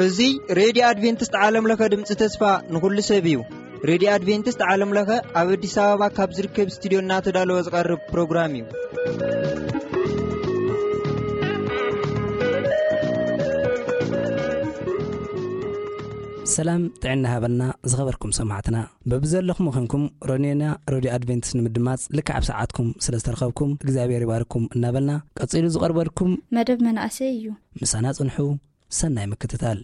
እዚ ሬድዮ ኣድቬንቲስት ዓለም ለኸ ድምፂ ተስፋ ንኹሉ ሰብ እዩ። ሬድዮ ኣድቬንቲስት ዓለም ለኸ ኣብ ኣዲስ ኣበባ ካብ ዝርከብ ስቱዲዮ እናተዳለወ ዝቐርብ ፕሮግራም እዩ። ሰላም ጥዕና ሃበልና ዝኸበርኩም ሰማዕትና። በብዘለኹም ኮንኩም ሮኔና ሮድዮ ኣድቬንቲስት ንምድማጽ ልክዕ ኣብ ሰዓትኩም ስለ ዝተረኸብኩም እግዚኣብሔር ይባርኩም እናበልና፣ ቀጺሉ ዝቐርበልኩም መደብ መናእሰይ እዩ። ምሳና ጽንሑ። ሰናይ ምክትታል።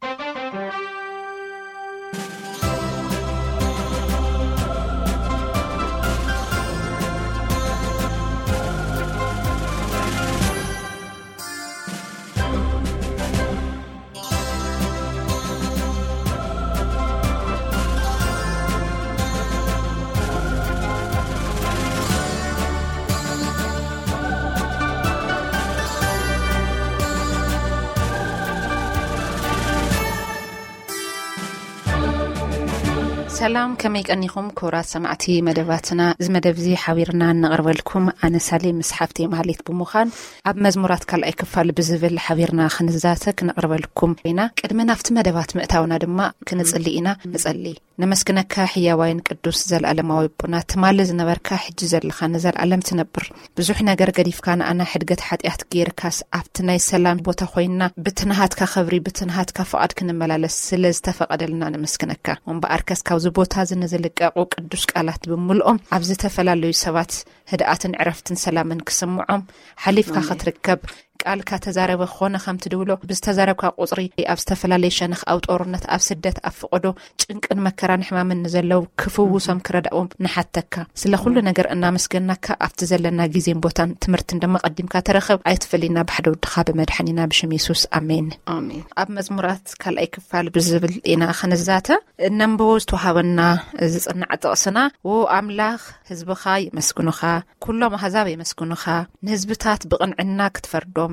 ሰላም፣ ከመይ ቀኒኹም ክቡራት ሰማዕቲ መደባትና? እዚ መደብ እዚ ሓቢርና እነቕርበልኩም ኣነ ሳሌ ምስ ሓፍተይ ማህሌት ብምዃን ኣብ መዝሙራት ካልኣይ ክፋል ብዝብል ሓቢርና ክንዛተ ክነቕርበልኩም ኢና። ቅድሚ ናብቲ መደባት ምእታውና ድማ ክንጽሊ ኢና። ንጸሊ። ነመስግነካ ሕያዋይን ቅዱስ ዘለኣለማዊ ኣቦና፣ ትማሊ ዝነበርካ ሕጂ ዘለኻ ንዘለኣለም ትነብር። ብዙሕ ነገር ገዲፍካ ንኣና ሕድገት ሓጢኣት ጌርካስ ኣብቲ ናይ ሰላም ቦታ ኮይንና ብትንሃትካ ክብሪ ብትንሃትካ ፍቓድ ክንመላለስ ስለ ዝተፈቐደልና ነመስግነካ። እምበኣርከስ ካብዚ ቦታ እዚ ንዝልቀቑ ቅዱስ ቃላት ብምልኦም ኣብ ዝተፈላለዩ ሰባት ህድኣትን ዕረፍትን ሰላምን ክስምዖም ሓሊፍካ ክትርከብ ቃልካ ተዛረበ ኮነ ከምቲ ድብሎ ብዝተዛረብካ ቁጽሪ ኣብ ዝተፈላለየ ሸነኽ ኣብ ጦርነት ኣብ ስደት ኣብ ፍቐዶ ጭንቅን መከራን ሕማምን ንዘለው ክፍውሶም ክረዳዎም ንሓተካ። ስለ ኩሉ ነገር እናመስገናካ ኣብቲ ዘለና ግዜን ቦታን ትምህርትን ድማ ቀዲምካ ተረኸብ ኣይትፈሊና ብሓደ ወድኻ ብመድሓኒና ብሽም የሱስ ኣሜን። ኣሜን። ኣብ መዝሙራት ካልኣይ ክፋል ብዝብል ኢና ክንዛተ እነንብቦ ዝተዋሃበና ዝጽናዕ ጥቕስና። ዎ ኣምላኽ ህዝብኻ የመስግኑኻ፣ ኩሎም ኣህዛብ የመስግኑኻ፣ ንህዝብታት ብቕንዕና ክትፈርዶም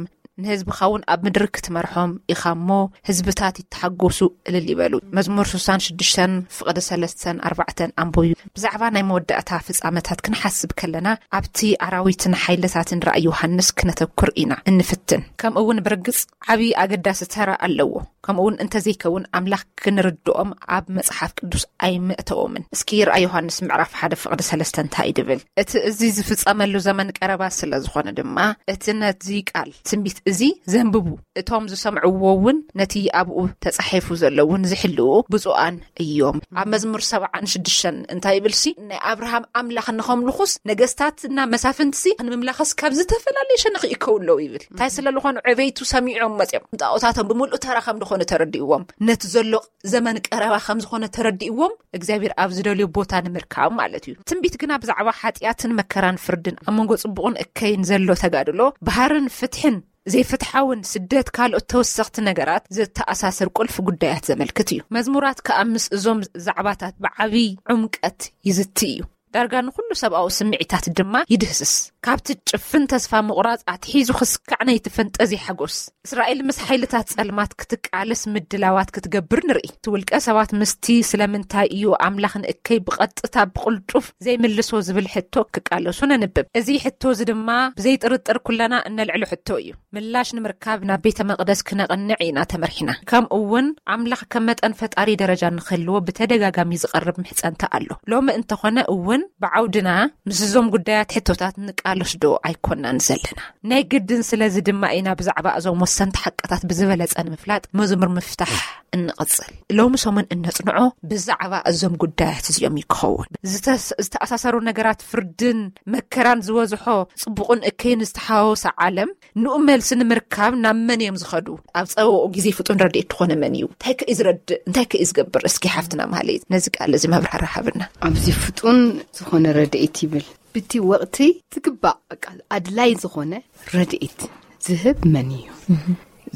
ንህዝብኻ እውን ኣብ ምድሪ ክትመርሖም ኢኻ እሞ ህዝብታት ይተሓጎሱ እልል ይበሉ። መዝሙር ስሳን ሽዱሽተን ፍቕዲ ሰለስተን ኣርባዕተን ኣንብዩ። ብዛዕባ ናይ መወዳእታ ፍጻመታት ክንሓስብ ከለና ኣብቲ ኣራዊትን ሓይልታትን ራእይ ዮሃንስ ክነተኩር ኢና እንፍትን። ከምኡ እውን ብርግጽ ዓቢ ኣገዳሲ ተራ ኣለዎ። ከምኡ እውን እንተዘይከውን ኣምላኽ ክንርድኦም ኣብ መጽሓፍ ቅዱስ ኣይምእተዎምን። እስኪ ራእይ ዮሃንስ ምዕራፍ ሓደ ፍቕዲ ሰለስተ እንታይ ድብል? እቲ እዚ ዝፍጸመሉ ዘመን ቀረባ ስለ ዝኾነ ድማ እቲ ነዚ ቃል ትንቢት እዚ ዘንብቡ እቶም ዝሰምዕዎ እውን ነቲ ኣብኡ ተጻሒፉ ዘሎ እውን ዝሕልኡ ብፁዓን እዮም። ኣብ መዝሙር ሰብዓን ሽዱሽተን እንታይ ይብልሲ? ናይ ኣብርሃም ኣምላኽ ንኸምልኹስ ነገስታትና መሳፍንትሲ ንምምላኽስ ካብ ዝተፈላለየ ሸነኽ ይእከቡ ኣለዉ ይብል። እንታይ ስለ ዝኾኑ ዕበይቱ ሰሚዖም መጺኦም ጣዖታቶም ብምሉእ ተራ ከም ዝኾነ ተረዲእዎም ነቲ ዘሎ ዘመን ቀረባ ከም ዝኾነ ተረዲእዎም እግዚኣብሔር ኣብ ዝደልዮ ቦታ ንምርካብ ማለት እዩ። ትንቢት ግና ብዛዕባ ሓጢኣትን መከራን ፍርድን ኣብ መንጎ ጽቡቕን እከይን ዘሎ ተጋድሎ ባህርን ፍትሕን ዘይፍትሓውን ስደት ካልኦት ተወሰኽቲ ነገራት ዝተኣሳሰር ቁልፊ ጉዳያት ዘመልክት እዩ። መዝሙራት ከኣ ምስ እዞም ዛዕባታት ብዓብዪ ዕምቀት ይዝቲ እዩ። ዳርጋ ንኹሉ ሰብኣዊ ስምዒታት ድማ ይድህስስ። ካብቲ ጭፍን ተስፋ ምቑራጽ ኣትሒዙ ክስካዕ ናይቲ ፈንጠዝያ ሓጎስ እስራኤል ምስ ሓይልታት ጸልማት ክትቃለስ ምድላዋት ክትገብር ንርኢ። እቲ ውልቀ ሰባት ምስቲ ስለምንታይ እዩ ኣምላኽ ንእከይ ብቐጥታ ብቕልጡፍ ዘይምልሶ ዝብል ሕቶ ክቃለሱ ነንብብ። እዚ ሕቶ እዚ ድማ ብዘይጥርጥር ኩለና እነልዕሎ ሕቶ እዩ። ምላሽ ንምርካብ ናብ ቤተ መቕደስ ክነቕንዕ ኢና ተመርሒና። ከምኡ እውን ኣምላኽ ከም መጠን ፈጣሪ ደረጃ ንክህልዎ ብተደጋጋሚ ዝቐርብ ምሕጸንታ ኣሎ። ሎሚ እንተኾነ እውን ብዓውድና ምስ እዞም ጉዳያት ሕቶታት ንቃለስ ዶ ኣይኮናን ዘለና? ናይ ግድን ስለዚ ድማ ኢና ብዛዕባ እዞም ወሰንቲ ሓቅታት ብዝበለጸ ንምፍላጥ መዝሙር ምፍታሕ እንቕጽል። ሎሚ ሰሙን እነጽንዖ ብዛዕባ እዞም ጉዳያት እዚኦም እዩ ክኸውን። ዝተስ-፣ ዝተኣሳሰሩ ነገራት ፍርድን መከራን ዝበዝሖ ጽቡቕን እከይን ዝተሓዋወሰ ዓለም ንኡ መልሲ ንምርካብ ናብ መን እዮም ዝኸዱ? ኣብ ጸበባኡ ግዜ ፍጡን ረድኤት ዝኾነ መን እዩ? እንታይ ከ እዩ ዝረድእ? እንታይ ከ እዩ ዝገብር? እስኪ ሓፍትና ማህሌት ነዚ ቃል እዚ መብራህርሂ ሃብና። ኣብዚ ፍጡን ዝኾነ ረድኤት ይብል። ብቲ ወቕቲ ዝግባእ በቃ ኣድላይ ዝኾነ ረድኤት ዝህብ መን እዩ?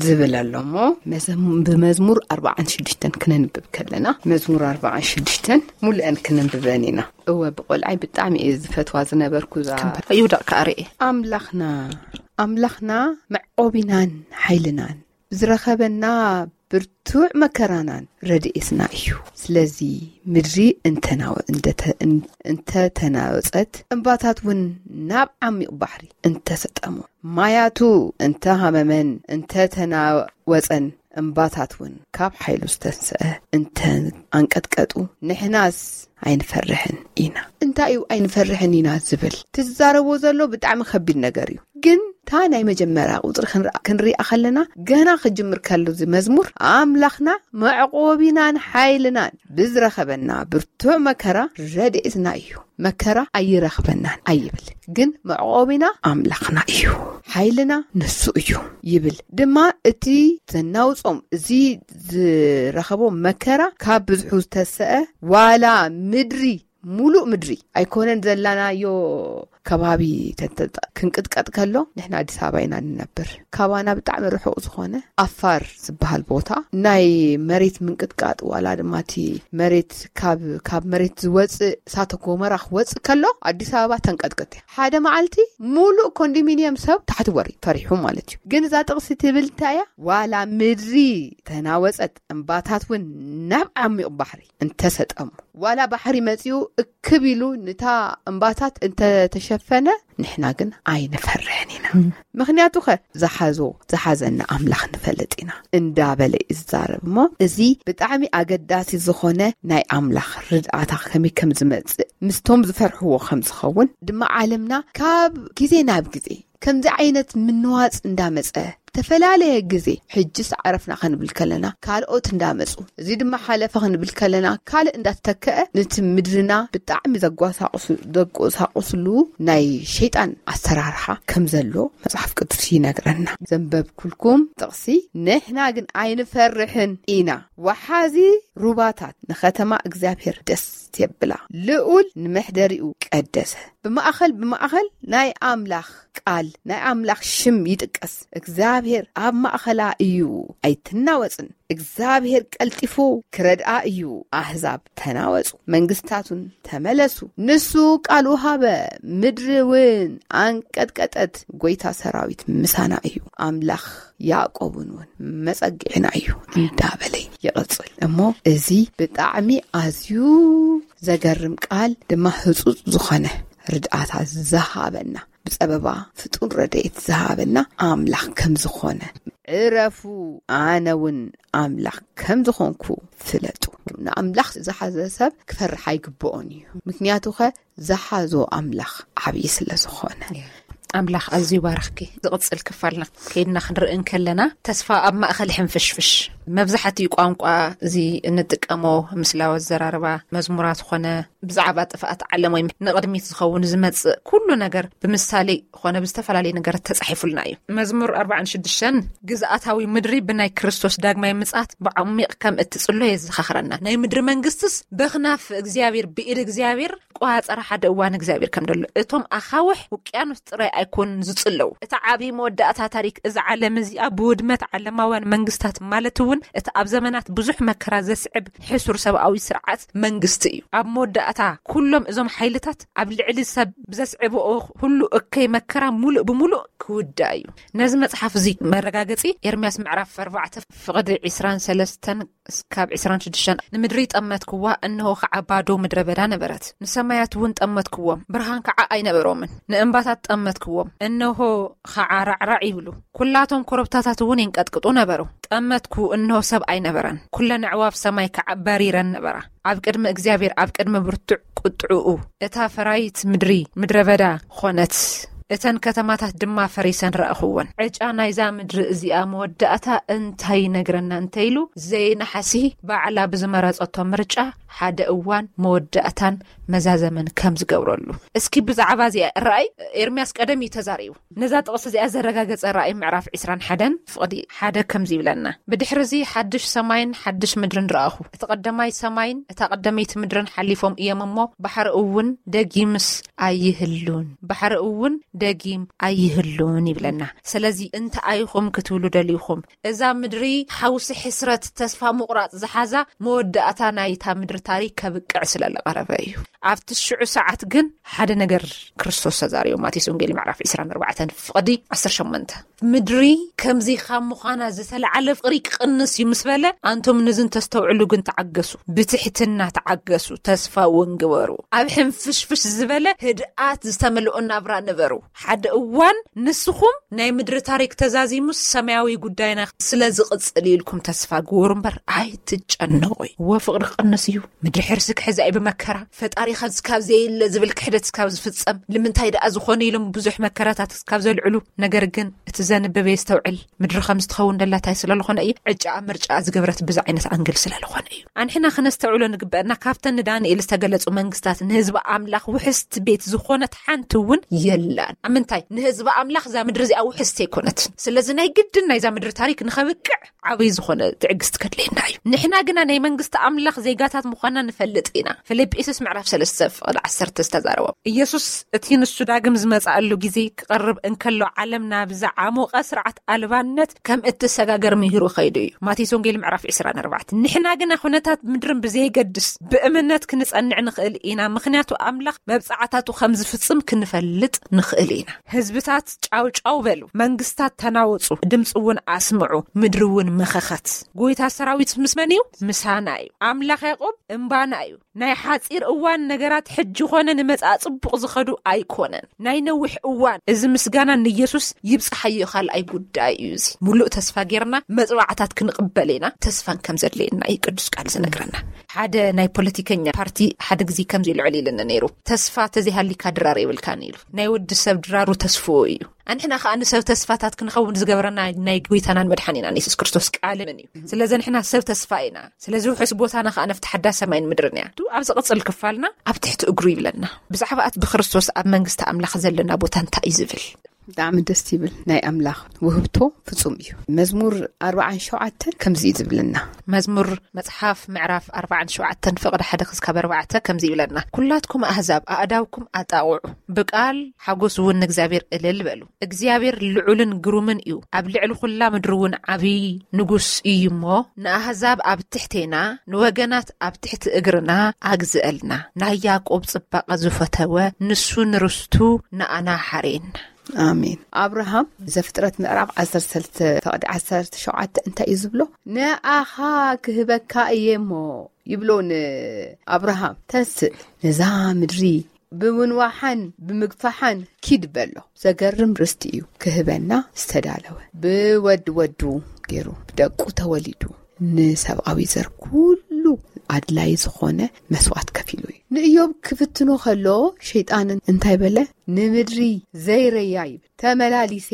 ዝብል ኣሎ እሞ መዘም-፣ ብመዝሙር ኣርባዓን ሽዱሽተን ክነንብብ ከለና መዝሙር ኣርባዓን ሽዱሽተን ሙሉአን ክንንብበን ኢና። እወ ብቆልዓይ ብጣዕሚ እየ ዝፈትዋ ዝነበርኩ እዛ ይውደቕ ከኣ ርኤ። ኣምላኽና ኣምላኽና መዕቆቢናን ሓይልናን ዝረኸበና ብርቱዕ መከራናን ረድኤትና እዩ። ስለዚ ምድሪ እንተናወ-፣ እንደተ-፣ እን-፣ እንተተናወጸት፣ እምባታት እውን ናብ ዓሚቕ ባሕሪ እንተሰጠሙ፣ ማያቱ እንተሃመመን እንተተናወጸን፣ እምባታት እውን ካብ ሓይሉ ዝተንስአ እንተ ኣንቀጥቀጡ፣ ንሕናስ ኣይንፈርሕን ኢና። እንታይ እዩ ኣይንፈርሕን ኢና ዝብል? ትዛረቦ ዘሎ ብጣዕሚ ከቢድ ነገር እዩ። ግን እታ ናይ መጀመርያ ቁጽሪ ክንርኣ፣ ክንሪኣ ከለና፣ ገና ክጅምር ከሎ እዚ መዝሙር፣ ኣምላኽና መዕቆቢናን ሓይልናን ብዝረኸበና ብርቱዕ መከራ ረድኤትና እዩ። መከራ ኣይረኽበናን ኣይብል፣ ግን መዕቆቢና ኣምላኽና እዩ፣ ሓይልና ንሱ እዩ ይብል። ድማ እቲ ዘናውጾም፣ እዚ ዝረኸቦ መከራ ካብ ብዝሑ ዝተሰአ፣ ዋላ ምድሪ፣ ሙሉእ ምድሪ ኣይኮነን ዘላናዮ ከባቢ ተንተ-፣ ክንቅጥቀጥ ከሎ፣ ንሕና ኣዲስ ኣበባ ኢና ንነብር። ካባና ብጣዕሚ ርሑቕ ዝኾነ ኣፋር ዝበሃል ቦታ ናይ መሬት ምንቅጥቃጥ፣ ዋላ ድማ እቲ መሬት ካብ፣ ካብ መሬት ዝወፅእ እሳተ ጎመራ ክወፅእ ከሎ፣ ኣዲስ ኣበባ ተንቀጥቅጥ እያ። ሓደ መዓልቲ ሙሉእ ኮንዶሚኒየም ሰብ ታሕቲ ወሪ፣ ፈሪሑ ማለት እዩ። ግን እዛ ጥቕሲ ትብል እንታይ እያ? ዋላ ምድሪ ተናወፀት፣ እምባታት እውን ናብ ዓሚቕ ባሕሪ እንተሰጠሙ፣ ዋላ ባሕሪ መጺኡ እክብ ኢሉ ንታ እምባታት እንተተሸፈነ፣ ንሕና ግን ኣይንፈርሕን ኢና። ምኽንያቱ ኸ፣ ዝሓዞ፣ ዝሓዘና ኣምላኽ ንፈልጥ ኢና፣ እንዳበለ እዩ ዝዛረብ። እሞ እዚ ብጣዕሚ ኣገዳሲ ዝኾነ ናይ ኣምላኽ ርድኣታ ከመይ ከም ዝመጽእ፣ ምስቶም ዝፈርሕዎ ከም ዝኸውን ድማ፣ ዓለምና ካብ ግዜ ናብ ግዜ ከምዚ ዓይነት ምንዋጽ እንዳመጸ፣ ዝተፈላለየ ግዜ፣ ሕጅስ ዓረፍና ክንብል ከለና፣ ካልኦት እንዳመጹ፣ እዚ ድማ ሓለፈ ክንብል ከለና፣ ካልእ እንዳተተከአ፣ ነቲ ምድርና ብጣዕሚ ዘጓሳቑሱ-፣ ዘጎሳቑስሉ ናይ ሸይጣን ኣሰራርሓ ከም ዘሎ መጽሓፍ ቅዱስ ይነግረና። ዘንበብኩልኩም ጥቕሲ፣ ንሕና ግን ኣይንፈርሕን ኢና። ወሓዚ ሩባታት ንኸተማ እግዚኣብሔር ደስ የብላ። ልኡል ንመሕደሪኡ ቀደሰ። ብማእኸል፣ ብማእኸል ናይ ኣምላኽ ቃል፣ ናይ ኣምላኽ ሽም ይጥቀስ። እግዚኣብሔር ኣብ ማእኸላ እዩ፣ ኣይትናወጽን። እግዚኣብሔር ቀልጢፉ ክረድኣ እዩ። ኣህዛብ ተናወጹ፣ መንግስታቱን ተመለሱ። ንሱ ቃሉ ሃበ፣ ምድሪ እውን ኣንቀጥቀጠት። ጐይታ ሰራዊት ምሳና እዩ፣ ኣምላኽ ያዕቆብን እውን መጸግዕና እዩ እንዳበለ ይቕጽል። እሞ እዚ ብጣዕሚ ኣዝዩ ዘገርም ቃል ድማ ህጹጽ ዝኾነ ርድኣታ ዝሃበና፣ ብጸበባ ፍጡን ረድኤት ዝሃበና ኣምላኽ ከም ዝኾነ፣ "ዕረፉ፣ ኣነ እውን ኣምላኽ ከም ዝኾንኩ ፍለጡ።" ንኣምላኽ ዝሓዘ ሰብ ክፈርሕ ኣይግብኦን እዩ። ምክንያቱ ኸ ዝሓዞ ኣምላኽ ዓብዪ ስለ ዝኾነ። ኣምላኽ ኣዝዩ ባርኽኪ። ዝቕጽል ክፋልና ከይድና ክንርኢ እንከለና፣ ተስፋ ኣብ ማእከል ሕንፍሽፍሽ። መብዛሕትኡ ቋንቋ እዚ እንጥቀሞ ምስላዊ ኣዘራርባ፣ መዝሙራት ኾነ ብዛዕባ ጥፍኣት ዓለም ወይ ንቕድሚት ዝኸውን ዝመጽእ ኩሉ ነገር ብምሳሌ ኾነ ብዝተፈላለየ ነገር ተጻሒፉልና እዩ። መዝሙር ኣርባዓን ሽዱሽተን ግዝኣታዊ ምድሪ ብናይ ክርስቶስ ዳግማይ ምጽኣት ብዓሚቕ ከም እትጽሎ የዘኻኽረና። ናይ ምድሪ መንግስትስ በኽናፍ እግዚኣብሔር፣ ብኢድ እግዚኣብሔር ቆጻጸራ ሓደ እዋን እግዚኣብሔር ከም ደሎ። እቶም ኣኻውሕ ውቅያኖስ ጥራይ ኣይኮኑን ዝጽለው። እቲ ዓቢ መወዳእታ ታሪክ እዛ ዓለም እዚኣ ብውድመት ዓለማውያን መንግስታት፣ ማለት እውን እቲ ኣብ ዘመናት ብዙሕ መከራ ዘስዕብ ሕሱር ሰብኣዊ ስርዓት መንግስቲ እዩ። ኣብ መወዳእታ ኩሎም እዞም ሓይልታት ኣብ ልዕሊ ሰብ ብዘስዕብኦ ሁሉ እከይ መከራ ሙሉእ ብሙሉእ ክውዳእ እዩ። ነዚ መጽሓፍ እዚ መረጋገጺ ኤርምያስ ምዕራፍ ኣርባዕተ ፍቕዲ ዕስራን ሰለስተን እስካብ ዕስራን ሽዱሽተን፣ "ንምድሪ ጠመትክዋ፣ እንሆ ኸዓ ባዶ ምድረ በዳ ነበረት። ንሰማያት እውን ጠመትክዎም፣ ብርሃን ከዓ ኣይነበሮምን። ንእምባታት ጠመትክዎም፣ እንሆ ኸዓ ራዕራዕ ይብሉ። ኩላቶም ኮረብታታት እውን ይንቀጥቅጡ ነበሩ። ጠመትኩ፣ እንሆ ሰብ ኣይነበረን። ኩለን ኣዕዋፍ ሰማይ ከዓ በሪረን ነበራ። ኣብ ቅድሚ እግዚኣብሔር፣ ኣብ ቅድሚ ብርቱዕ ቁጥዕኡ፣ እታ ፈራይት ምድሪ ምድረ በዳ ኾነት፣ እተን ከተማታት ድማ ፈሪሰን ረኣኽወን። ዕጫ ናይዛ ምድሪ እዚኣ መወዳእታ እንታይ ይነግረና እንተይሉ፣ ዘይናሕሲ ባዕላ ብዝመረጸቶ ምርጫ ሓደ እዋን መወዳእታን መዛዘምን ከም ዝገብረሉ። እስኪ ብዛዕባ እዚኣ ራእይ ኤርምያስ ቀደም እዩ ተዛሪቡ። ነዛ ጥቕሲ እዚኣ ዘረጋገጸ ራእይ ምዕራፍ ዕስራን ሓደን ፍቕዲ ሓደ ከምዚ ይብለና፣ "ብድሕሪ እዚ ሓድሽ ሰማይን ሓድሽ ምድርን ረኣኹ። እቲ ቀደማይ ሰማይን እታ ቀደመይቲ ምድርን ሓሊፎም እዮም እሞ፣ ባሕሪ እውን ደጊምስ ኣይህሉን፣ ባሕሪ እውን ደጊም ኣይህሉን" ይብለና። ስለዚ እንታይ ኢኹም ክትብሉ ደሊኹም? እዛ ምድሪ ሓውሲ፣ ሕስረት፣ ተስፋ ምቑራጽ ዝሓዛ፣ መወዳእታ ናይታ ምድሪ ታሪክ ከብቅዕ ስለ ዝቐረበ እዩ። ኣብቲ ሽዑ ሰዓት ግን ሓደ ነገር ክርስቶስ ተዛሪቡ። ማቴዎስ ወንጌል ምዕራፍ ዕስራን ኣርባዕተን ፍቕዲ ዓሰርተ ሸሞንተ፣ ምድሪ ከምዚ ካብ ምዃና ዝተለዓለ ፍቕሪ ክቕንስ እዩ ምስ በለ፣ ኣንቶም ንዝን ተስተውዕሉ ግን ተዓገሱ፣ ብትሕትና ተዓገሱ፣ ተስፋ እውን ግበሩ፣ ኣብ ሕንፍሽፍሽ ዝበለ ህድኣት ዝተመልኦ ናብራ ንበሩ። ሓደ እዋን ንስኹም ናይ ምድሪ ታሪክ ተዛዚሙ ሰማያዊ ጉዳይና ስለ ዝቕጽል ኢልኩም ተስፋ ግበሩ እምበር ኣይትጨነቑ። እወ ፍቕሪ ክቕንስ እዩ። ምድሪ ሕርሲ ክሕዛ እዩ ብመከራ። ፈጣሪ ካብ ዝካብ ዘየለ ዝብል ክሕደት ካብ ዝፍጸም፣ ንምንታይ ደኣ ዝኾነ ኢሎም ብዙሕ መከራታት ካብ ዘልዕሉ፣ ነገር ግን እቲ ዘንብብ የስተውዕል። ምድሪ ከም ዝትኸውን ደላታይ ስለ ዝኾነ እዩ። ዕጫ ኣብ ምርጫ ዝገብረት ብዛ ዓይነት ኣንግል ስለ ዝኾነ እዩ። ኣንሕና ክነስተውዕሎ ንግበአና፣ ካብተን ንዳንኤል ዝተገለጹ መንግስታት ንህዝቢ ኣምላኽ ውሕስቲ ቤት ዝኾነት ሓንቲ እውን የላን። ኣብ ምንታይ? ንህዝቢ ኣምላኽ እዛ ምድሪ እዚኣ ውሕስቲ ኣይኮነትን። ስለዚ ናይ ግድን ናይዛ ምድሪ ታሪክ ንኸብቅዕ ዓብዪ ዝኾነ ትዕግስቲ ከድልየና እዩ። ንሕና ግና ናይ መንግስቲ ኣምላኽ ዜጋታት ምዃንና ንፈልጥ ኢና። ፊልጵስዩስ ምዕራፍ ሰለስተ ፍቕዲ ዓሰርተ ዝተዛረቦ። ኢየሱስ እቲ ንሱ ዳግም ዝመጽኣሉ ግዜ ክቐርብ እንከሎ፣ ዓለም ናብ ዝዓሞቐ ስርዓት ኣልባነት ከም እትሰጋገር ምሂሩ ከይዱ እዩ። ማቴዎስ ወንጌል ምዕራፍ ዕስራን ኣርባዕተን። ንሕና ግና ኩነታት ምድርን ብዘየገድስ ብእምነት ክንጸንዕ ንኽእል ኢና፣ ምኽንያቱ ኣምላኽ መብጽዓታቱ ከም ዝፍጽም ክንፈልጥ ንኽእል ኢና። ህዝብታት ጫው ጫው በሉ፣ መንግስታት ተናወጹ፣ ድምጺ እውን ኣስምዑ፣ ምድሪ እውን መኸኸት። ጎይታ ሰራዊት ምስ መን እዩ? ምሳና እዩ። ኣምላኽ ያዕቆብ እምባና እዩ። ናይ ሓጺር እዋን ነገራት ሕጂ ኾነ ንመጻኢ ጽቡቕ ዝኸዱ ኣይኮነን። ናይ ነዊሕ እዋን። እዚ ምስጋና ንኢየሱስ ይብጽሓዮ ካልኣይ ጉዳይ እዩ። እዚ ሙሉእ ተስፋ ጌርና መጽዋዕታት ክንቕበል ኢና። ተስፋን ከም ዘድልየና እዩ ቅዱስ ቃል ዝነግረና። ሓደ ናይ ፖለቲከኛ ፓርቲ ሓደ ግዜ ከምዚ ኢሉ ዕሊልኒ ነይሩ። "ተስፋ ተዘይሃሊካ ድራር የብልካን" ኢሉ። ናይ ወዲ ሰብ ድራሩ ተስፍኡ እዩ። ኣንሕና ከኣ ንሰብ ተስፋታት ክንኸውን ዝገበረና ናይ ጎይታናን መድሓኒናን የሱስ ክርስቶስ ቃል ምን እዩ። ስለዚ ንሕና ሰብ ተስፋ ኢና። ስለዚ ውሑስ ቦታና ከኣ ነፍቲ ሓዳስ ሰማይን ምድርን እያ። ቱ ኣብ ዝቕጽል ክፋልና ኣብ ትሕቲ እግሩ ይብለና። ብዛዕባ እቲ ብክርስቶስ ኣብ መንግስቲ ኣምላኽ ዘለና ቦታ እንታይ እዩ ዝብል? ብጣዕሚ ደስ ይብል። ናይ ኣምላኽ ውህብቶ ፍጹም እዩ። መዝሙር ኣርባዓን ሸውዓተን ከምዚ እዩ ዝብለና። መዝሙር መጽሓፍ ምዕራፍ ኣርባዓን ሸውዓተን ፍቕዲ ሓደ ክስካብ ኣርባዕተ ከምዚ ይብለና። "ኩላትኩም ኣህዛብ ኣእዳውኩም ኣጣቕዑ፣ ብቃል ሓጎስ እውን ንእግዚኣብሔር እልል በሉ። እግዚኣብሔር ልዑልን ግሩምን እዩ፣ ኣብ ልዕሊ ኩላ ምድሪ እውን ዓብዪ ንጉስ እዩ እሞ፣ ንኣህዛብ ኣብ ትሕቴና፣ ንወገናት ኣብ ትሕቲ እግርና ኣግዝአልና። ናይ ያዕቆብ ጽባቐ ዝፈተወ፣ ንሱ ንርስቱ ንኣና ሓሬና." ኣሜን። ኣብርሃም ዘፍጥረት ምዕራፍ ዓሰርተ ሰለስተ ፍቕዲ ዓሰርተ ሸውዓተ እንታይ እዩ ዝብሎ? "ንኣኻ ክህበካ እየ እሞ" ይብሎ ንኣብርሃም። "ተንስእ፣ ነዛ ምድሪ ብምንዋሓን ብምግፋሓን ኪድ" በሎ። ዘገርም ርስቲ እዩ ክህበና ዝተዳለወ። ብወድ ወዱ ገይሩ ብደቁ ተወሊዱ ንሰብኣዊ ዘር ኩሉ ኣድላይ ዝኾነ መስዋዕት ከፊሉ እዩ። ንእዮብ ክፍትኖ ከሎ ሸይጣን እንታይ በለ? "ንምድሪ ዘይረያ" ይብል። "ተመላሊሴ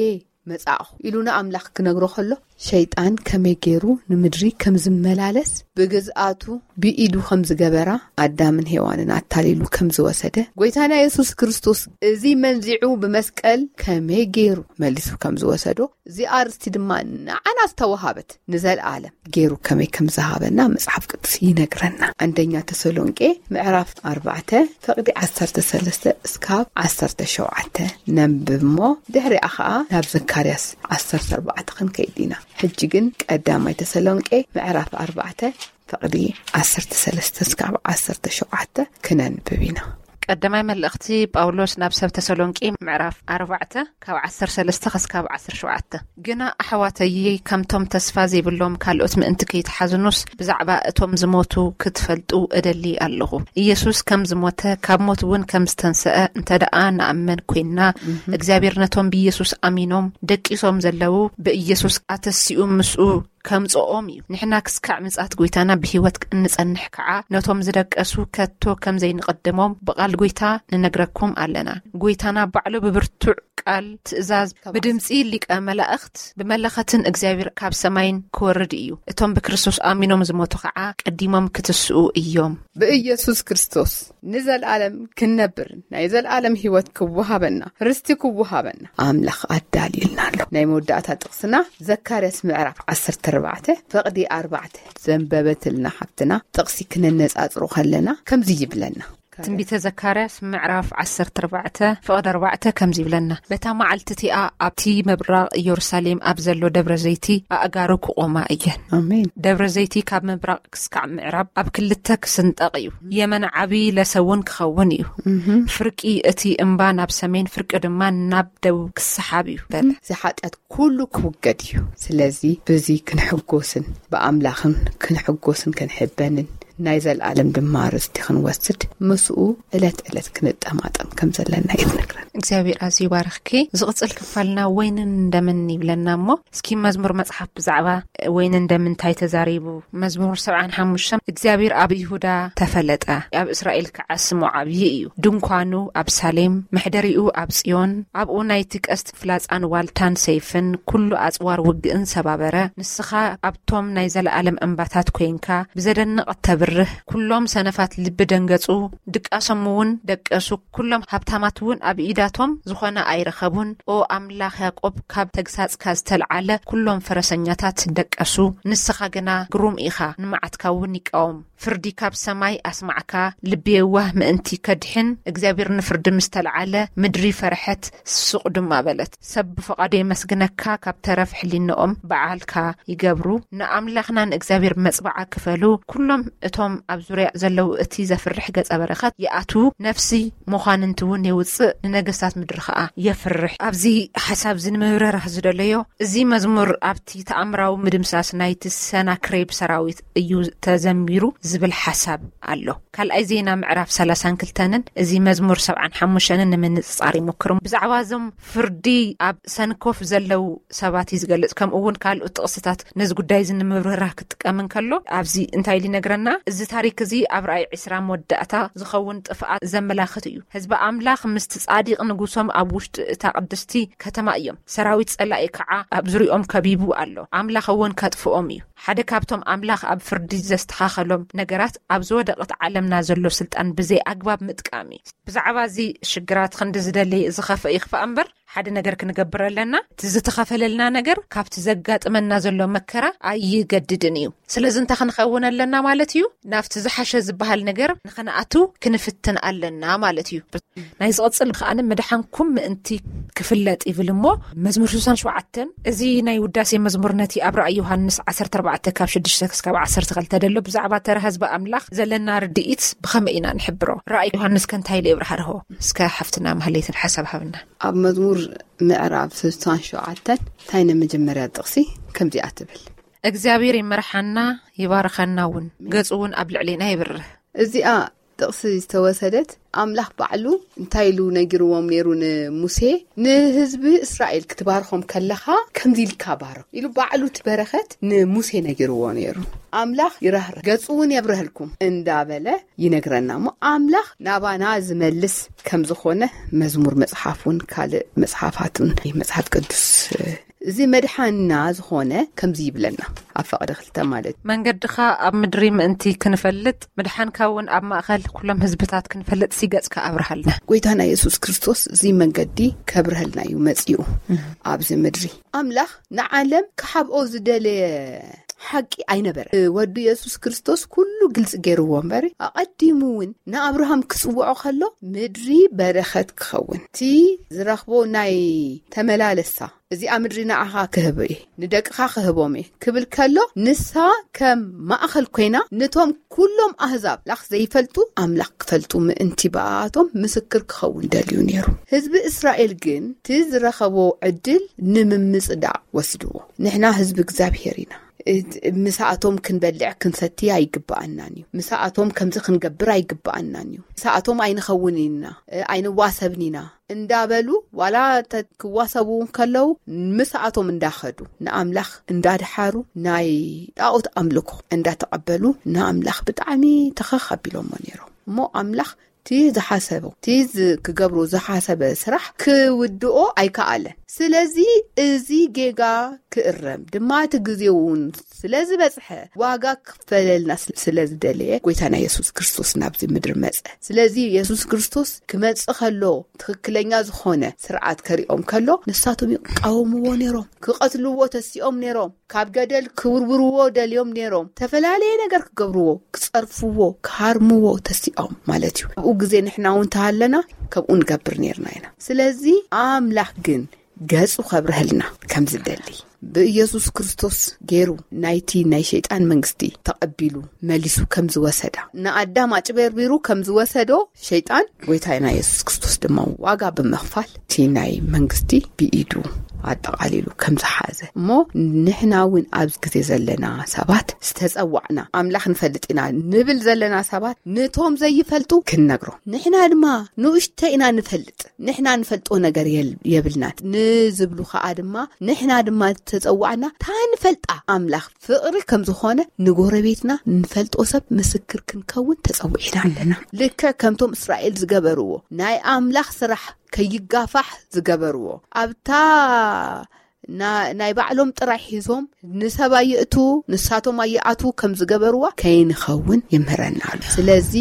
መጻእኹ" ኢሉ ንኣምላኽ ክነግሮ ከሎ፣ ሸይጣን ከመይ ገይሩ ንምድሪ ከም ዝመላለስ፣ ብግዝኣቱ ብኢዱ ከም ዝገበራ፣ ኣዳምን ሄዋንን ኣታሊሉ ከም ዝወሰደ፣ ጎይታና የሱስ ክርስቶስ እዚ መንዚዑ ብመስቀል ከመይ ገይሩ መሊሱ ከም ዝወሰዶ፣ እዚ ኣርስቲ ድማ ንዓና ዝተወሃበት ንዘለኣለም ገይሩ ከመይ ከም ዝሃበና መጽሓፍ ቅዱስ ይነግረና። አንደኛ ተሰሎንቄ ምዕራፍ ኣርባዕተ ፍቕዲ ዓሰርተ ሰለስተ እስካብ ዓሰርተ ሸውዓተ ነንብብ እሞ፣ ድሕሪኣ ኸኣ ናብ ዘካርያስ ዓሰርተ ኣርባዕተ ክንከይድ ኢና። ሕጂ ግን ቀዳማይ ተሰሎንቄ ምዕራፍ ኣርባዕተ ፍቕዲ ዓሰርተ ሰለስተ እስካብ ዓሰርተ ሸውዓተ ክነንብብ ኢና። ቀዳማይ መልእኽቲ ጳውሎስ ናብ ሰብ ተሰሎንቄ ምዕራፍ ኣርባዕተ ካብ ዓሰርተ ሰለስተ ክስካብ ዓሰርተ ሸውዓተ። ግና ኣሕዋተይይ፣ ከምቶም ተስፋ ዘይብሎም ካልኦት ምእንቲ ከይትሓዝኑስ፣ ብዛዕባ እቶም ዝሞቱ ክትፈልጡ እደሊ ኣለኹ። ኢየሱስ ከም ዝሞተ፣ ካብ ሞት እውን ከም ዝተንሰአ እንተ ደኣ ንኣመን ኮይንና፣ እህም። እግዚኣብሔር ነቶም ብኢየሱስ ኣሚኖም ደቂሶም ዘለዉ ብኢየሱስ ኣተሲኡ ምስኡ ከምጽኦም እዩ። ንሕና ክስካዕ ምጽኣት ጎይታና ብህይወት እንጸንሕ ከዓ፣ ነቶም ዝደቀሱ ከቶ ከም ዘይንቐድሞም ብቓል ጎይታ ንነግረኩም ኣለና። ጎይታና ባዕሉ ብብርቱዕ ቃል፣ ትእዛዝ፣ ብድምጺ ሊቀ መላእኽት፣ ብመለኸትን እግዚኣብሔር ካብ ሰማይን ክወርድ እዩ። እቶም ብክርስቶስ ኣሚኖም ዝሞቱ ከዓ ቀዲሞም ክትስኡ እዮም። ብኢየሱስ ክርስቶስ ንዘለኣለም ክንነብርን ናይ ዘለኣለም ህይወት ክወሃበና፣ ርስቲ ክወሃበና ኣምላኽ ኣዳልዩልና ኣሎ። ናይ መወዳእታ ጥቕስና ዘካርያስ ምዕራፍ ዓሰርተ ኣርባዕተ ፍቕዲ ኣርባዕተ ዘንበበትልና ሓፍትና ጥቕሲ ክነነጻጽሮ ከለና ከምዚ ይብለና። ትንቢተ ዘካርያስ ምዕራፍ ዓሰርተ ኣርባዕተ ፍቕዲ ኣርባዕተ ከምዚ ይብለና፣ በታ መዓልቲ እቲኣ ኣብቲ ምብራቕ ኢየሩሳሌም ኣብ ዘሎ ደብረ ዘይቲ ኣእጋሩ ክቖማ እየን። ኣሜን። ደብረ ዘይቲ ካብ ምብራቕ ክስካዕ ምዕራብ ኣብ ክልተ ክስንጠቕ እዩ። የመን ዓቢ ለሰ እውን ክኸውን እዩ። ፍርቂ እቲ እምባ ናብ ሰሜን፣ ፍርቂ ድማ ናብ ደቡብ ክሰሓብ እዩ በለ። እዚ ሓጢኣት ኩሉ ክውገድ እዩ። ስለዚ ብዚ ክንሕጎስን ብኣምላኽን ክንሕጎስን ክንሕበንን ናይ ዘልኣለም ድማ ርስቲ ክንወስድ ምስኡ ዕለት ዕለት ክንጠማጠም ከም ዘለና እዩ ዝነግረን። እግዚኣብሔር ኣዝዩ ይባርኽኪ። ዝቕጽል ክፋልና ወይንን እንደምን ይብለና እሞ፣ እስኪ መዝሙር መጽሓፍ ብዛዕባ ወይንን እንደምን እንታይ ተዛሪቡ? መዝሙር ሰብዓን ሓሙሽተን እግዚኣብሔር ኣብ ይሁዳ ተፈለጠ፣ ኣብ እስራኤል ከዓ ስሙ ዓብዪ እዩ። ድንኳኑ ኣብ ሳሌም፣ መሕደሪኡ ኣብ ጽዮን፣ ኣብኡ ናይቲ ቀስት ፍላጻን ዋልታን ሰይፍን ኩሉ ኣጽዋር ውግእን ሰባበረ። ንስኻ ኣብቶም ናይ ዘለኣለም እምባታት ኮይንካ ብዘደንቕ ተብርህ። ኩሎም ሰነፋት ልቢ ደንገጹ፣ ድቃሶም እውን ደቀሱ። ኩሎም ሃብታማት እውን ኣብ ኢዳቶም ዝኾነ ኣይረኸቡን። ኦ ኣምላኽ ያዕቆብ፣ ካብ ተግሳጽካ ዝተልዓለ ኩሎም ፈረሰኛታት ደቀሱ። ንስኻ ግና ግሩም ኢኻ፣ ንመዓትካ እውን ይቃወም። ፍርዲ ካብ ሰማይ ኣስማዕካ። ልቢ የዋህ ምእንቲ ከድሕን እግዚኣብሔር ንፍርዲ ምስ ተልዓለ፣ ምድሪ ፈርሐት፣ ስቕ ድማ በለት። ሰብ ብፍቓዱ የመስግነካ፣ ካብ ተረፍ ሕሊንኦም በዓልካ ይገብሩ። ንኣምላኽና ንእግዚኣብሔር መጽባዓ ክፈሉ። ኩሎም እቶም ኣብ ዙርያ ዘለዉ እቲ ዘፍርሕ ገጸ በረኸት ይኣትዉ። ነፍሲ መዃንንቲ እውን የውጽእ፣ ንነገስታት ምድሪ ኸኣ የፍርሕ። ኣብዚ ሓሳብ እዚ ንምብርራህ ዝደለዮ፣ እዚ መዝሙር ኣብቲ ተኣምራዊ ምድምሳስ ናይቲ ሰናክሬብ ሰራዊት እዩ ተዘሚሩ ዝብል ሓሳብ ኣሎ። ካልኣይ ዜና ምዕራፍ ሰላሳን ክልተንን እዚ መዝሙር ሰብዓን ሓሙሽተንን ንምንጽጻር ይሞክሩ። ብዛዕባ እዞም ፍርዲ ኣብ ሰንኮፍ ዘለዉ ሰባት እዩ ዝገልጽ። ከምኡ እውን ካልኦት ጥቕስታት ነዚ ጉዳይ እዚ ንምብርራህ ክጥቀም እንከሎ፣ ኣብዚ እንታይ ኢሉ ይነግረና? እዚ ታሪክ እዚ ኣብ ራእይ ዕስራ መወዳእታ ዝኸውን ጥፍኣት ዘመላኽት እዩ። ህዝቢ ኣምላኽ ምስቲ ጻዲቕ ንጉሶም ኣብ ውሽጢ እታ ቅድስቲ ከተማ እዮም። ሰራዊት ጸላኢ ከዓ ኣብ ዙሪኦም ከቢቡ ኣሎ። ኣምላኽ እውን ከጥፍኦም እዩ። ሓደ ካብቶም ኣምላኽ ኣብ ፍርዲ ዘስተኻኸሎም ነገራት ኣብ ዝወደቐት ዓለምና ዘሎ ስልጣን ብዘይ ኣግባብ ምጥቃም እዩ። ብዛዕባ እዚ ሽግራት ክንዲ ዝደለየ ዝኸፍእ ይኽፋእ እምበር፣ ሓደ ነገር ክንገብር ኣለና። እቲ ዝተኸፈለልና ነገር ካብቲ ዘጋጥመና ዘሎ መከራ ኣይገድድን እዩ። ስለዚ እንታይ ክንኸውን ኣለና ማለት እዩ? ናብቲ ዝሓሸ ዝበሃል ነገር ንኽንኣቱ ክንፍትን ኣለና ማለት እዩ። ናይ ዝቕጽል ከኣ ምድሓንኩም ምእንቲ ክፍለጥ ይብል እሞ፣ መዝሙር ስሳን ሸውዓተን፣ እዚ ናይ ውዳሴ መዝሙር ነቲ ኣብ ራእይ ዮሃንስ ዓሰርተ ኣርባዕተ ካብ ሽዱሽተ ክሳብ ዓሰርተ ክልተ ደሎ ብዛዕባ ተራ ህዝቢ ኣምላኽ ዘለና ርድኢት ብኸመይ ኢና ንሕብሮ? ራእይ ዮሃንስ ከ እንታይ ኢሉ የብርሃርሆ? እስከ ሓፍትና ማህሌትን ሓሳብ ሃብና። ኣብ መዝሙር ምዕራብ ስሳን ሸውዓተን እንታይ ናይ መጀመርያ ጥቕሲ ከምዚኣ ትብል። እግዚኣብሔር ይመርሓና፣ ይባርኸና እውን፣ ገጹ እውን ኣብ ልዕሌና ይብርህ። እዚኣ ጥቕሲ ዝተወሰደት ኣምላኽ ባዕሉ እንታይ ኢሉ ነጊርዎም ነይሩ ንሙሴ? ንህዝቢ እስራኤል ክትባርኾም ከለኻ ከምዚ ኢልካ ባርኽ ኢሉ ባዕሉ እቲ በረኸት ንሙሴ ነጊርዎ ነይሩ። ኣምላኽ ይራህርህ፣ ገጹ እውን የብርሀልኩም እንዳበለ ይነግረና። እሞ ኣምላኽ ናባና ዝመልስ ከም ዝኾነ መዝሙር መጽሓፍ እውን ካልእ መጽሓፋት እውን መጽሓፍ ቅዱስ፣ እዚ መድሓንና ዝኾነ ከምዚ ይብለና ኣብ ፈቐደ ክልተ ማለት እዩ። መንገድኻ ኣብ ምድሪ ምእንቲ ክንፈልጥ፣ ምድሓንካ እውን ኣብ ማእኸል ኩሎም ህዝብታት ክንፈልጥ፣ ሲገጽካ ኣብርሃልና። ጎይታና የሱስ ክርስቶስ እዚ መንገዲ ከብርሀልና እዩ መጺኡ ኣብዚ ምድሪ። ኣምላኽ ንዓለም ክሓብኦ ዝደለየ ሓቂ ኣይነበረ። ወዱ የሱስ ክርስቶስ ኩሉ ግልጺ ገይርዎ እምበር፣ ኣቐዲሙ እውን ንኣብርሃም ክጽውዖ ከሎ፣ ምድሪ በረኸት ክኸውን፣ እቲ ዝረኽቦ ናይ ተመላለሳ፣ እዚኣ ምድሪ ንዓኻ ክህብ እየ፣ ንደቅኻ ክህቦም እየ ክብል ከሎ፣ ንሳ ከም ማእኸል ኮይና፣ ነቶም ኩሎም ኣህዛብ ኣምላኽ ዘይፈልጡ ኣምላኽ ክፈልጡ ምእንቲ ብኣቶም ምስክር ክኸውን ደልዩ ነይሩ። ህዝቢ እስራኤል ግን እቲ ዝረኸቦ ዕድል ንምምጽዳቕ ወስድዎ። ንሕና ህዝቢ እግዚኣብሔር ኢና። ምሳኣቶም ክንበልዕ ክንሰቲ ኣይግብኣናን እዩ። ምሳኣቶም ከምዚ ክንገብር ኣይግብኣናን እዩ። ምሳኣቶም ኣይንኸውን ኢና፣ ኣይንዋሰብን ኢና እንዳበሉ፣ ዋላ ክዋሰቡ ከለዉ፣ ምሳኣቶም እንዳኸዱ፣ ንኣምላኽ እንዳድሓሩ፣ ናይ ጣኦት ኣምልኮ እንዳተቐበሉ፣ ንኣምላኽ ብጣዕሚ ተኸኽ ኣቢሎሞ ነይሮም። እሞ ኣምላኽ እቲ ዝሓሰቦ፣ እቲ ክገብሮ ዝሓሰበ ስራሕ ክውድኦ ኣይከኣለን። ስለዚ እዚ ጌጋ ክእረም ድማ እቲ ግዜ እውን ስለ ዝበጽሐ፣ ዋጋ ክፈለልና ስለ ዝደለየ፣ ጎይታና የሱስ ክርስቶስ ናብዚ ምድሪ መጸ። ስለዚ የሱስ ክርስቶስ ክመጽእ ከሎ፣ ትኽክለኛ ዝኾነ ስርዓት ከሪኦም ከሎ፣ ንሳቶም ይቃወምዎ ነይሮም፣ ክቐትልዎ ተሲኦም ነይሮም፣ ካብ ገደል ክውርውርዎ ደልዮም ነይሮም፣ ተፈላለየ ነገር ክገብርዎ፣ ክጸርፍዎ፣ ክሃርምዎ ተሲኦም ማለት እዩ። ኣብኡ ግዜ ንሕና እውን ተሃለና፣ ከምኡ ንገብር ነይርና ኢና። ስለዚ ኣምላኽ ግን ገጹ ከብርሀልና ከም ዝደሊ፣ ብኢየሱስ ክርስቶስ ገይሩ ናይቲ ናይ ሸይጣን መንግስቲ ተቐቢሉ መሊሱ ከም ዝወሰዳ፣ ንኣዳም ኣጭበርቢሩ ከም ዝወሰዶ ሸይጣን፣ ጎይታና የሱስ ክርስቶስ ድማ ዋጋ ብምኽፋል እቲ ናይ መንግስቲ ብኢዱ ኣጠቓሊሉ ከም ዝሓዘ፣ እሞ ንሕና እውን ኣብዚ ግዜ ዘለና ሰባት ዝተጸዋዕና፣ ኣምላኽ ንፈልጥ ኢና ንብል ዘለና ሰባት፣ ነቶም ዘይፈልጡ ክንነግሮም። ንሕና ድማ ንኡሽተ ኢና ንፈልጥ፣ ንሕና ንፈልጦ ነገር የል-፣ የብልናን። ንዝብሉ ከኣ ድማ፣ ንሕና ድማ ዝተጸዋዕና፣ እታ ንፈልጣ ኣምላኽ ፍቕሪ ከም ዝኾነ፣ ንጎረቤትና ንፈልጦ ሰብ ምስክር ክንከውን ተጸዊዕና ኣለና። ልክዕ ከምቶም እስራኤል ዝገበርዎ፣ ናይ ኣምላኽ ስራሕ ከይጋፋሕ ዝገበርዎ፣ ኣብታ ና-፣ ናይ ባዕሎም ጥራይ ሒዞም፣ ንሰብ ኣየእቱ፣ ንሳቶም ኣየኣቱ ከም ዝገበርዋ ከይንኸውን ይምህረና ኣሎ። ስለዚ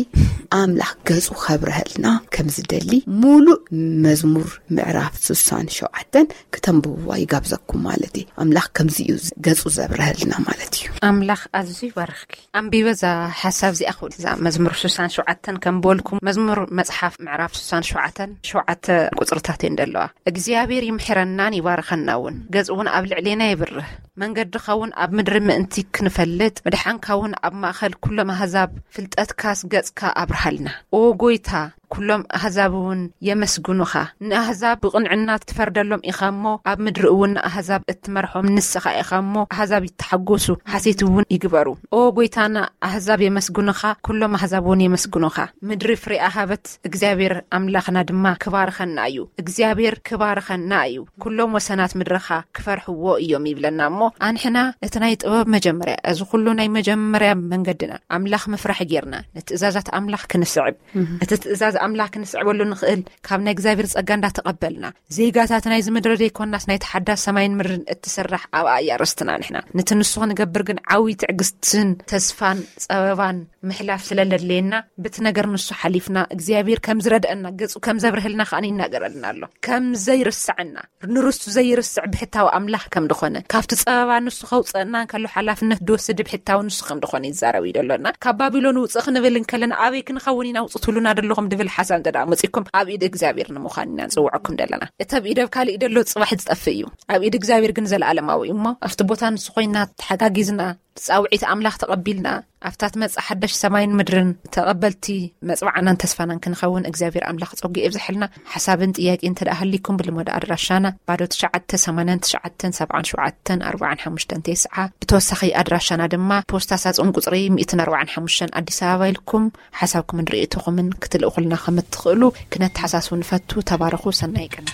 ኣምላኽ ገጹ ከብርሀልና ከም ዝደሊ፣ ሙሉእ መዝሙር ምዕራፍ ስሳን ሸውዓተን ክተንብብዋ ይጋብዘኩም ማለት እዩ። ኣምላኽ ከምዚ እዩ ገጹ ዘብርሀልና ማለት እዩ። ኣምላኽ ኣዝዩ ይባርኽኪ። ኣንቢበ እዛ ሓሳብ እዚኣ ክብል፣ እዛ መዝሙር ስሳን ሸውዓተን ከም በልኩም፣ መዝሙር መጽሓፍ ምዕራፍ ስሳን ሸውዓተን ሸውዓተ ቁጽርታት እየን ዘለዋ። እግዚኣብሔር ይምሕረናን ይባርኸና እውን፣ ገጽ እውን ኣብ ልዕሌና የብርህ፣ መንገድኻ እውን ኣብ ምድሪ ምእንቲ ክንፈልጥ፣ ምድሓንካ እውን ኣብ ማእከል ኩሎም ኣህዛብ፣ ፍልጠትካስ ገጽካ ኣብርሃልና። ኦ ጎይታ፣ ኩሎም ኣህዛብ እውን የመስግኑኻ። ንኣህዛብ ብቕንዕና ትፈርደሎም ኢኻ እሞ፣ ኣብ ምድሪ እውን ንኣህዛብ እትመርሖም ንስኻ ኢኻ እሞ፣ ኣህዛብ ይተሓጎሱ፣ ሓሴት እውን ይግበሩ። ኦ ጎይታና፣ ኣህዛብ የመስግኑኻ፣ ኩሎም ኣህዛብ እውን የመስግኑኻ። ምድሪ ፍሬኣ ሃበት፣ እግዚኣብሔር ኣምላኽና ድማ ክባርኸና እዩ። እግዚኣብሔር ክባርኸና እዩ። ኩሎም ወሰናት ምድርኻ ክፈርሕዎ እዮም ይብለና እሞ፣ ኣንሕና እቲ ናይ ጥበብ መጀመርያ፣ እዚ ኩሉ ናይ መጀመርያ መንገድና ኣምላኽ ምፍራሕ ጌርና፣ ንትእዛዛት ኣምላኽ ክንስዕብ፣ እቲ ትእዛዝ ኣምላኽ ክንስዕበሉ ንኽእል ካብ ናይ እግዚኣብሔር ጸጋ እንዳተቐበልና፣ ዜጋታት ናይዚ ምድሪ ዘይኮናስ ናይቲ ሓዳስ ሰማይን ምድርን እትስራሕ ኣብኣ እያ ርስትና። ንሕና ነቲ ንሱ ክንገብር ግን ዓብዪ ትዕግስትን ተስፋን ጸበባን ምሕላፍ ስለ ለድልየና፣ በቲ ነገር ንሱ ሓሊፍና እግዚኣብሔር ከም ዝረድአና፣ ገጹ ከም ዘብርህልና ከኣ ይናገረልና ኣሎ። ከም ዘይርስዐና፣ ንርስቱ ዘይርስዕ ብሕታዊ ኣምላኽ ከም ዝኾነ፣ ካብቲ ጸበባ ንሱ ከውጽአና እንከሎ ሓላፍነት ድወስድ ብሕታዊ ንሱ ከም ዝኾነ ይዛረብ እዩ ደሎና። ካብ ባቢሎን ውጽእ ክንብል እንከለና ኣበይ ክንኸውን ኢና ውጹእ ትብሉና ደለኹም ድብል ሓሳብ እንተ ደኣ መጺእኩም፣ ኣብ ኢድ እግዚኣብሔር ንምዃን ኢና ንጽውዐኩም ደለና። እቲ ኣብ ኢድ ኣብ ካልእ ደሎ ጽባሕ ዝጠፍእ እዩ፣ ኣብ ኢድ እግዚኣብሔር ግን ዘለኣለማዊ እዩ። እሞ ኣብቲ ቦታ ንሱ ኮይና ተሓጋጊዝና፣ ጻውዒት ኣምላኽ ተቐቢልና፣ ኣብታ ትመጽእ ሓዳሽ ሰማይን ምድርን ተቐበልቲ መጽዋዕናን ተስፋናን ክንኸውን እግዚኣብሔር ኣምላኽ ጸጉ የብዝሐልና። ሓሳብን ጥያቄ እንተ ደኣ ሃሊኩም፣ ብልመዶ ኣድራሻና ባዶ ትሽዓተ ሰማንያን ትሽዓተን ሰብዓን ሸውዓተን ኣርባዓን ሓሙሽተን ተስዓ። ብተወሳኺ ኣድራሻና ድማ ፖስታ ሳጹን ቁጽሪ ሚእትን ኣርባዓን ሓሙሽተን ኣዲስ ኣበባ ኢልኩም ሓሳብኩምን ርእይቶኹምን ክትልእኹልና ከም እትኽእሉ ክነተሓሳስቡ ንፈቱ። ተባረኹ። ሰናይ ቀን።